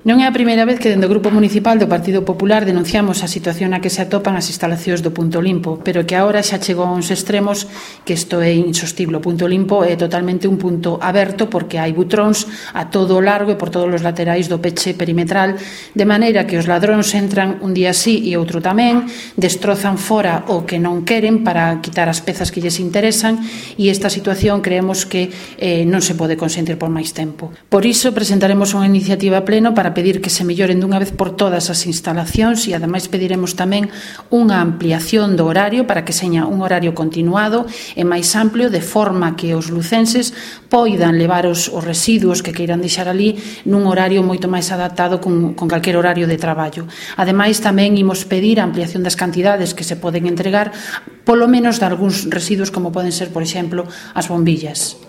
Non é a primeira vez que dende o Grupo Municipal do Partido Popular denunciamos a situación na que se atopan as instalacións do Punto Limpo, pero que agora xa chegou a uns extremos que isto é insostible. O Punto Limpo é totalmente un punto aberto porque hai butróns a todo o largo e por todos os laterais do peche perimetral, de maneira que os ladróns entran un día sí e outro tamén, destrozan fora o que non queren para quitar as pezas que lles interesan, e esta situación creemos que non se pode consentir por máis tempo. Por iso presentaremos unha iniciativa a pleno para pedir que se melloren dunha vez por todas as instalacións e ademais pediremos tamén unha ampliación do horario para que seña un horario continuado e máis amplio, de forma que os lucenses poidan levar os residuos que queiran deixar ali nun horario moito máis adaptado con calquer horario de traballo. Ademais tamén imos pedir a ampliación das cantidades que se poden entregar, polo menos de algúns residuos como poden ser, por exemplo, as bombillas.